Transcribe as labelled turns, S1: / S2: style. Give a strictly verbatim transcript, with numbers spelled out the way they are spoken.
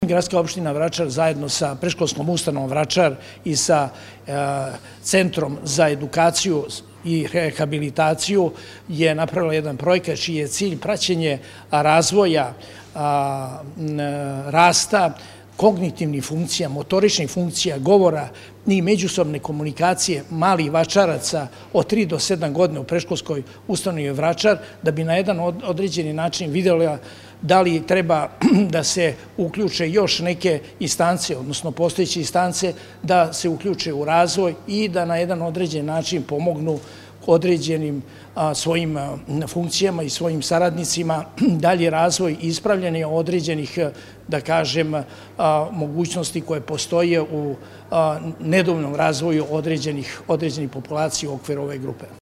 S1: Gradska opština Vračar zajedno sa predškolskom ustanovom Vračar i sa Centrom za edukaciju i rehabilitaciju je napravila jedan projekat čiji je cilj praćenje razvoja, rasta kognitivnih funkcija, motoričnih funkcija, govora i međusobne komunikacije malih Vračaraca od tri do sedam godina u predškolskoj ustanovi Vračar, da bi na jedan određeni način videla da li treba da se uključe još neke instance, odnosno postojeće instance, da se uključe u razvoj i da na jedan određen način pomognu određenim svojim funkcijama i svojim saradnicima dalji razvoj i ispravljanje određenih, da kažem, mogućnosti koje postoje u nedovoljnom razvoju određenih populacija u okviru ove grupe.